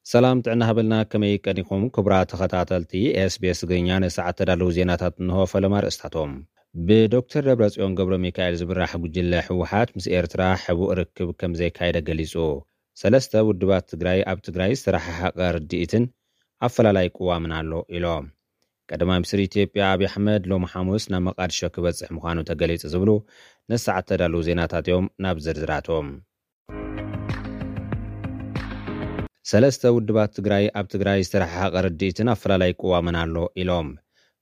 ሰላም ጥዕና ሃበልና፣ ከመይ ቀኒኹም ክቡራት ተኸታተልቲ ኤስቢኤስ ትግርኛ? ንሰዓት ተዳለዉ ዜናታት እንሆ። ፈለማ ኣርእስታቶም። ብዶክተር ደብረጽዮን ገብረ ሚካኤል ዝምራሕ ጉጅለ ህወሓት ምስ ኤርትራ ሕቡእ ርክብ ከም ዘየካየደ ገሊጹ። ሰለስተ ውድባት ትግራይ ኣብ ትግራይ ዝተረሓሓቐ ርድኢትን ኣፈላላይ ቅዋምን ኣሎ ኢሎም። ቀዳማይ ሚኒስትር ኢትዮጵያ ኣብይ ኣሕመድ ሎሚ ሓሙስ ናብ መቓድሾ ክበጽሕ ምዃኑ ተገሊጹ ዝብሉ ንሰዓት ተዳለዉ ዜናታት እዮም። ናብ ዝርዝራቶም። ሰለስተ ውድባት ትግራይ ኣብ ትግራይ ዝተረሓሓቐ ርድኢትን ኣፈላላይ ቅዋምን ኣሎ ኢሎም።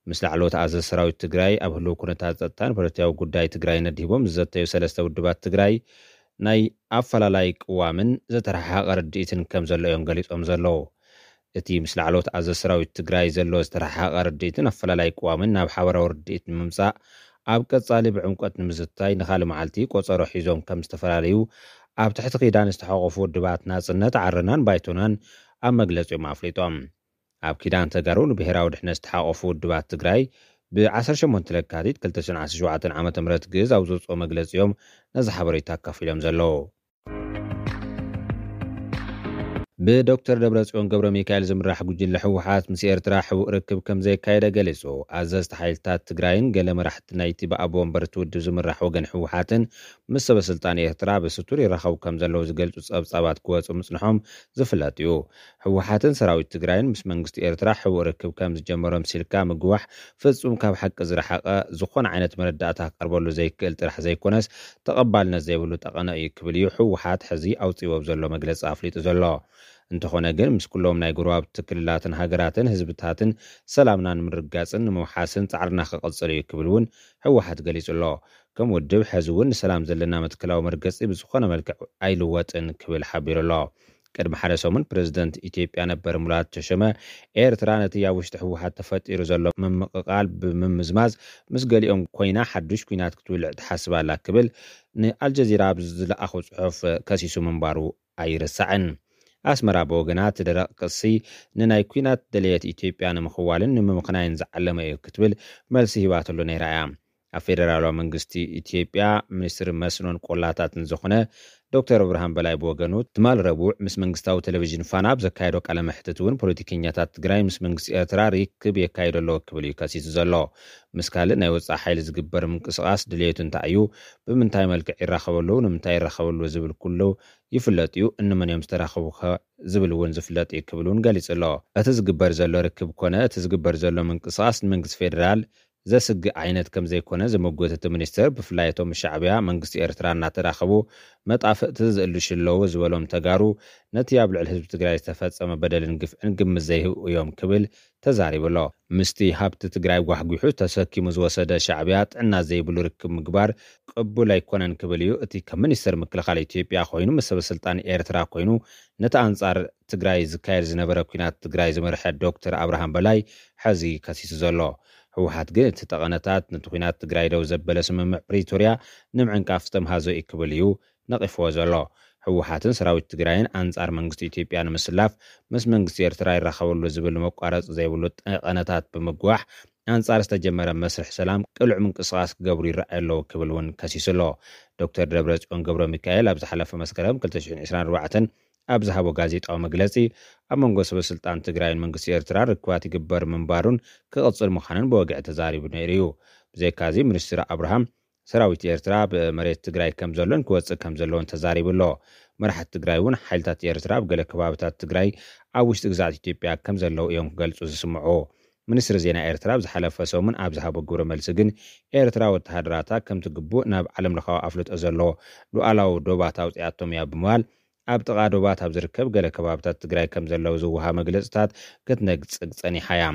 ምስ ላዕለዎት ኣዘዝ ሰራዊት ትግራይ ኣብ ህልው ኩነታት ጸጥታን ፖለቲካዊ ጉዳይ ትግራይ ነዲቦም ዝዘተዩ ሰለስተ ውድባት ትግራይ ናይ ኣፈላላይ ቅዋምን ዝተረሓሓቐ ርድኢትን ከም ዘሎ እዮም ገሊጾም ዘለዉ። እቲ ምስ ላዕለዎት ኣዘዝ ሰራዊት ትግራይ ዘሎ ዝተረሓሓቐ ርድኢትን ኣፈላላይ ቅዋምን ናብ ሓበራዊ ርድኢት ንምምጻእ ኣብ ቀጻሊ ብዕምቆት ንምዝታይ ንኻልእ መዓልቲ ቆጸሮ ሒዞም ከም ዝተፈላለዩ ኣብ ትሕቲ ኪዳን ዝተሓቆፉ ውድባት ናጽነት ዓረናን ባይቶናን ኣብ መግለጺኦም ኣፍሊጦም። ኣብ ኪዳን ተጋሩ ንብሔራዊ ድሕነት ዝተሓቆፉ ውድባት ትግራይ ብ18 ለካቲት 2017 ዓ.ም ግእዝ ኣብ ዘውፅኦ መግለጺኦም ነዚ ሓበሬታ ኣካፊሎም ዘለዉ። ብዶክተር ደብረጽዮን ገብረ ሚካኤል ዝምራሕ ጉጅለ ህወሓት ምስ ኤርትራ ሕቡእ ርክብ ከም ዘየካየደ ገሊጹ። ኣዘዝቲ ሓይልታት ትግራይን ገለ መራሕቲ ናይቲ ብኣቦ ወንበርቲ ውድብ ዝምራሕ ወገን ህወሓትን ምስ ሰበ ስልጣን ኤርትራ ብስቱር ይራኸቡ ከም ዘለዉ ዝገልጹ ጸብጻባት ክወጹ ምጽንሖም ዝፍለጥ እዩ። ህወሓትን ሰራዊት ትግራይን ምስ መንግስቲ ኤርትራ ሕቡእ ርክብ ከም ዝጀመሮም ሲልካ ምግዋሕ ፍጹም ካብ ሓቂ ዝረሓቐ፣ ዝኾነ ዓይነት መረዳእታ ክቐርበሉ ዘይክእል ጥራሕ ዘይኮነስ ተቐባልነት ዘይብሉ ጠቐነ እዩ ክብል እዩ ህወሓት ሕዚ ኣውፂዎ ዘሎ መግለፂ ኣፍሊጡ ዘሎ። እንተኾነ ግን ምስ ኩሎም ናይ ጎረባብቲ ክልላትን ሃገራትን ህዝብታትን ሰላምና ንምርጋፅን ንምውሓስን ፃዕርና ክቕፅል እዩ ክብል እውን ህወሓት ገሊፁ ኣሎ። ከም ውድብ ሕዚ እውን ንሰላም ዘለና መትከላዊ መርገፂ ብዝኾነ መልክዕ ኣይልወጥን ክብል ሓቢሩ ኣሎ። ቅድሚ ሓደ ሰሙን ፕረዚደንት ኢትዮጵያ ነበር ሙላቱ ተሾመ ኤርትራ ነቲ ኣብ ውሽጢ ህወሓት ተፈጢሩ ዘሎ ምምቕቓል ብምምዝማዝ ምስ ገሊኦም ኮይና ሓዱሽ ኲናት ክትውልዕ ትሓስብ ኣላ ክብል ንኣልጀዚራ ኣብ ዝለኣኾ ጽሑፍ ከሲሱ ምንባሩ ኣይርሳዕን። ኣስመራ ብወገና እቲ ደረቕ ክሲ ንናይ ኲናት ደለየት ኢትዮጵያ ንምኽዋልን ንምምኽናይን ዝዓለመ እዩ ክትብል መልሲ ሂባትሉ ነይራ እያ። ኣብ ፌደራላዊ መንግስቲ ኢትዮጵያ ሚኒስትሪ መስኖን ቆላታትን ዝኾነ ዶክተር ብርሃን በላይ ብወገኑ ትማል ረቡዕ ምስ መንግስታዊ ቴሌቪዥን ፋና ኣብ ዘካየዶ ቃለ መሕትት እውን ፖለቲከኛታት ትግራይ ምስ መንግስቲ ኤርትራ ርክብ የካይዱ ኣለዉ ክብል እዩ ከሲሱ ዘሎ። ምስ ካልእ ናይ ወፃኢ ሓይሊ ዝግበር ምንቅስቓስ ድልየቱ እንታይ እዩ፣ ብምንታይ መልክዕ ይራኸበሉ፣ ንምንታይ ይራኸበሉ ዝብል ኩሉ ይፍለጥ እዩ፣ እንመን እዮም ዝተራኸቡ ከ ዝብል እውን ዝፍለጥ እዩ ክብል እውን ገሊጹ ኣሎ። እቲ ዝግበር ዘሎ ርክብ ኮነ እቲ ዝግበር ዘሎ ምንቅስቓስ ንመንግስቲ ፌደራል ዘስግእ ዓይነት ከም ዘይኮነ ዝምጉት እቲ ሚኒስትር፣ ብፍላይ እቶም ሻዕብያ መንግስቲ ኤርትራ እናተራኸቡ መጣፍእቲ ዝእልሹ ኣለዉ ዝበሎም ተጋሩ ነቲ ኣብ ልዕሊ ህዝቢ ትግራይ ዝተፈጸመ በደልን ግፍዕን ግምት ዘይህቡ እዮም ክብል ተዛሪቡ ኣሎ። ምስቲ ሃብቲ ትግራይ ጓሕጒሑ ተሰኪሙ ዝወሰደ ሻዕብያ ጥዕና ዘይብሉ ርክብ ምግባር ቅቡል ኣይኮነን ክብል እዩ እቲ ከም ሚኒስትር ምክልኻል ኢትዮጵያ ኮይኑ ምስ ሰበ ስልጣን ኤርትራ ኮይኑ ነቲ ኣንጻር ትግራይ ዝካየድ ዝነበረ ኲናት ትግራይ ዝመርሐ ዶክተር ኣብርሃም በላይ ሕዚ ከሲሱ ዘሎ። ህወሓት ግን እቲ ጠቐነታት ነቲ ኲናት ትግራይ ደው ዘበለ ስምምዕ ፕሪቶርያ ንምዕንቃፍ ዝተምሃዞ እዩ ክብል እዩ ነቒፍዎ ዘሎ። ህወሓትን ሰራዊት ትግራይን ኣንጻር መንግስቲ ኢትዮጵያ ንምስላፍ ምስ መንግስቲ ኤርትራ ይራኸበሉ ዝብል መቋረፂ ዘይብሉ ጠቐነታት ብምግዋሕ ኣንጻር ዝተጀመረ መስርሕ ሰላም ቅሉዕ ምንቅስቓስ ክገብሩ ይረኣዩ ኣለዉ ክብል እውን ከሲሱ ኣሎ። ዶክተር ደብረጽዮን ገብረ ሚካኤል ኣብ ዝሓለፈ መስከረም 2024 ኣብ ዝሃቦ ጋዜጣዊ መግለጺ ኣብ መንጎ ሰበ ስልጣን ትግራይን መንግስቲ ኤርትራ ርክባት ይግበር ምንባሩን ክቕጽል ምዃኑን ብወግዒ ተዛሪቡ ነይሩ እዩ። ብዘይካዚ ሚኒስትር ኣብርሃም ሰራዊት ኤርትራ ኣብ መሬት ትግራይ ከም ዘሎን ክወጽእ ከም ዘለዎን ተዛሪቡ ኣሎ። መራሕቲ ትግራይ እውን ሓይልታት ኤርትራ ኣብ ገለ ከባብታት ትግራይ ኣብ ውሽጢ ግዛት ኢትዮጵያ ከም ዘለዉ እዮም ክገልጹ ዝስምዑ። ሚኒስትሪ ዜና ኤርትራ ኣብ ዝሓለፈ ሰሙን ኣብ ዝሃቦ ግብረ መልሲ ግን ኤርትራ ወተሃደራታ ከምቲ ግቡእ ናብ ዓለም ለኻዊ ኣፍልጦ ዘለዎ ሉዓላዊ ዶባት ኣውፂኣቶም እያ ብምባል ኣብ ጥቓ ዶባት ኣብ ዝርከብ ገለ ከባብታት ትግራይ ከም ዘለዉ ዝወሃብ መግለፅታት ክትነግፅግ ፀኒሓ እያ።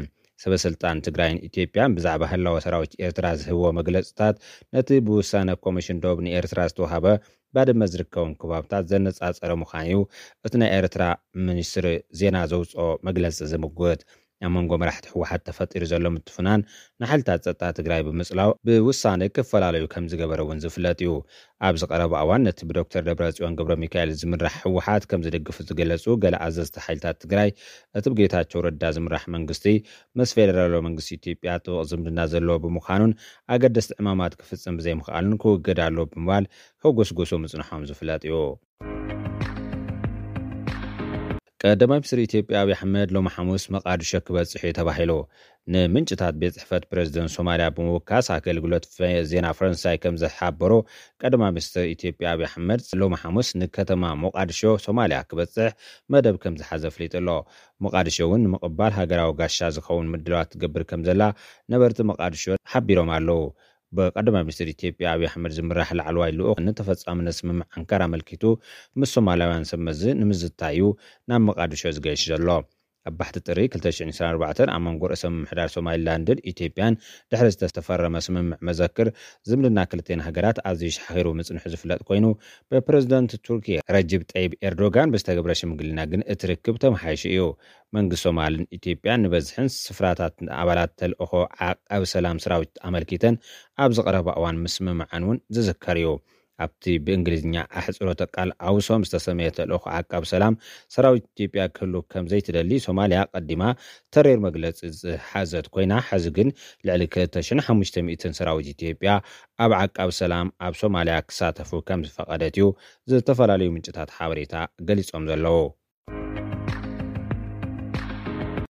ሰበ ስልጣን ትግራይን ኢትዮጵያን ብዛዕባ ህላወ ሰራዊት ኤርትራ ዝህብዎ መግለፅታት ነቲ ብውሳነ ኮሚሽን ዶብ ንኤርትራ ዝተዋሃበ ባድመ ዝርከቦም ከባብታት ዘነፃፀረ ምዃኑ እዩ እቲ ናይ ኤርትራ ሚኒስትሪ ዜና ዘውፅኦ መግለፂ ዝምጉት። ኣብ መንጎ መራሕቲ ህወሓት ተፈጢሩ ዘሎ ምትፍናን ንሓይልታት ጸጥታ ትግራይ ብምጽላው ብውሳነ ክፈላለዩ ከም ዝገበረ እውን ዝፍለጥ እዩ። ኣብዚ ቀረባ እዋን ነቲ ብዶክተር ደብረጽዮን ገብረ ሚካኤል ዝምራሕ ህወሓት ከም ዝድግፉ ዝገለጹ ገለ ኣዘዝቲ ሓይልታት ትግራይ እቲ ብጌታቸው ረዳ ዝምራሕ መንግስቲ ምስ ፌደራላዊ መንግስቲ ኢትዮጵያ ጥቡቕ ዝምድና ዘለዎ ብምዃኑን ኣገደስቲ ዕማማት ክፍጽም ብዘይምኽኣሉን ክውገድ ኣለዎ ብምባል ክጉስጉሱ ምጽንሖም ዝፍለጥ እዩ። ቀዳማይ ሚኒስትር ኢትዮጵያ ኣብይ ኣሕመድ ሎሚ ሓሙስ መቓድሾ ክበጽሕ እዩ ተባሂሉ። ንምንጭታት ቤት ጽሕፈት ፕሬዝደንት ሶማልያ ብምውካስ ኣገልግሎት ፈ- ዜና ፈረንሳይ ከም ዝሓበሮ፣ ቀዳማይ ሚኒስትር ኢትዮጵያ ኣብይ ኣሕመድ ሎሚ ሓሙስ ንከተማ ሞቓድሾ ሶማልያ ክበጽሕ መደብ ከም ዝሓዘ ኣፍሊጡ ኣሎ። ሞቓድሾ እውን ንምቕባል ሃገራዊ ጋሻ ዝኸውን ምድላዋት ትገብር ከም ዘላ ነበርቲ ሞቓድሾ ሓቢሮም ኣለዉ። ብቀዳማይ ሚኒስትር ኢትዮጵያ ኣብይ ኣሕመድ ዝምራሕ ላዕለዋይ ልኡኽ ንተፈጻምነት ስምምዕ ኣንካራ ኣመልኪቱ ምስ ሶማላውያን ሰብ መዚ ንምዝታይ እዩ ናብ መቓድሾ ዝገይሽ ዘሎ። ኣብ ባሕቲ ጥሪ ክልተ ሽሕን ዕስራን ኣርባዕተን ኣብ መንጎ ርእሰ ምምሕዳር ሶማሊላንድን ኢትዮጵያን ድሕሪ ዝተፈረመ ስምምዕ መዘክር፣ ዝምድና ክልቴን ሃገራት ኣዝዩ ሻሒሩ ምጽንሑ ዝፍለጥ ኮይኑ፣ ብፕረዚደንት ቱርኪ ረጅብ ጠይብ ኤርዶጋን ብዝተገብረ ሽምግልና ግን እቲ ርክብ ተመሓይሹ እዩ። መንግስቲ ሶማልን ኢትዮጵያን ንበዝሕን ስፍራታት ኣባላት ተልእኾ ዓቃቢ ሰላም ሰራዊት ኣመልኪተን ኣብ ዝቐረባ እዋን ምስምምዐን እውን ዝዝከር እዩ። ኣብቲ ብእንግሊዝኛ ኣሕጽሮተ ቃል ኣውሶም ዝተሰመየ ተልእኾ ዓቃቢ ሰላም ሰራዊት ኢትዮጵያ ክህሉ ከም ዘይትደሊ ሶማልያ ቀዲማ ተሪር መግለጺ ዝሓዘት ኮይና፣ ሕዚ ግን ልዕሊ ክልተ ሽሕን ሓሙሽተ ሚእትን ሰራዊት ኢትዮጵያ ኣብ ዓቃቢ ሰላም ኣብ ሶማልያ ክሳተፉ ከም ዝፈቐደት እዩ ዝተፈላለዩ ምንጭታት ሓበሬታ ገሊጾም ዘለዉ።